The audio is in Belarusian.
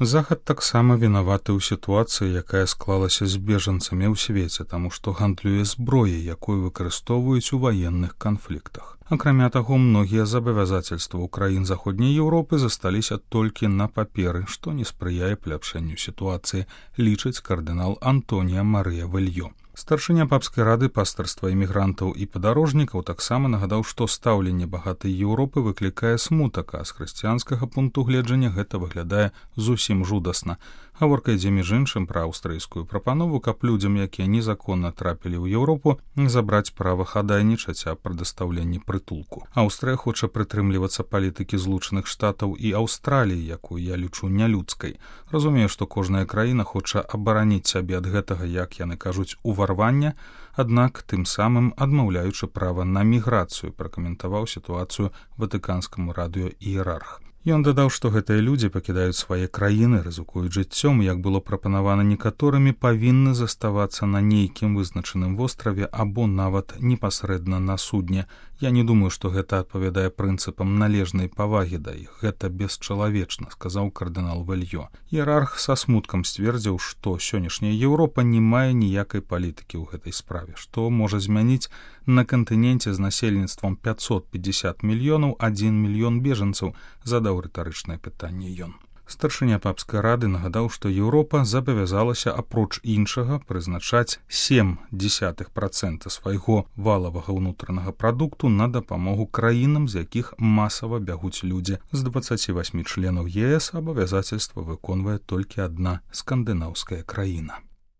Захад таксама вінаваты ў сітуацыі, якая склалася з бежанцамі ў свеце, таму што гандлюе зброяй, якую выкарыстоўваюць у ваенных канфліктах. Акрамя таго, многія забавязательствы краін Заходняй Еўропы засталіся толькі на паперы, што не спрыяе паляпшэнню сітуацыі, лічыць кардынал Антонія Марыя Вельё. Старшыня папскай рады пастырства імігрантаў і падарожнікаў таксама нагадаў, што стаўленне багатай Еўропы выклікае смутак, а з хрысціянскага пункту гледжання гэта выглядае зусім жудасна. Гаворка ідзе між іншым пра аўстрыйскую прапанову, каб людзям, якія незаконна трапілі ў Еўропу, забраць права хадайнічаць аб прадастаўленні прытулку. Аўстрыя хоча прытрымлівацца палітыкі Злучаных Штатаў і Аўстраліі, якую я лічу нялюдскай. Разумею, што кожная краіна хоча абараніць сябе ад гэтага, як яны кажуць, уварвання, аднак тым самым адмаўляючы права на міграцыю, пракаментаваў сітуацыю ватыканскаму радыё іерарх. Ён дадаў, што гэтыя людзі пакідаюць свае краіны, рызыкуюць жыццём, як было прапанавана некаторымі, павінны заставацца на нейкім вызначаным востраве або нават непасрэдна на судне. Я не думаю, што гэта адпавядае прынцыпам належнай павагі да іх. Гэта бесчалавечна, сказаў кардынал Вельё. Іерарх са смуткам сцвердзіў, што сённяшняя Еўропа не мае ніякай палітыкі ў гэтай справе, што можа змяніць на кантыненце з насельніцтвам 550 мільёнаў 1 мільён бежанцаў, задаў рытарычнае пытанне ён. Старшыня папскай рады нагадаў, што Еўропа забавязалася апроч іншага прызначаць 0,7% свайго валавага ўнутранага прадукту на дапамогу краінам, з якіх масава бягуць людзі. З 28 членаў ЕС абавязацельства выконвае толькі адна скандынаўская краіна.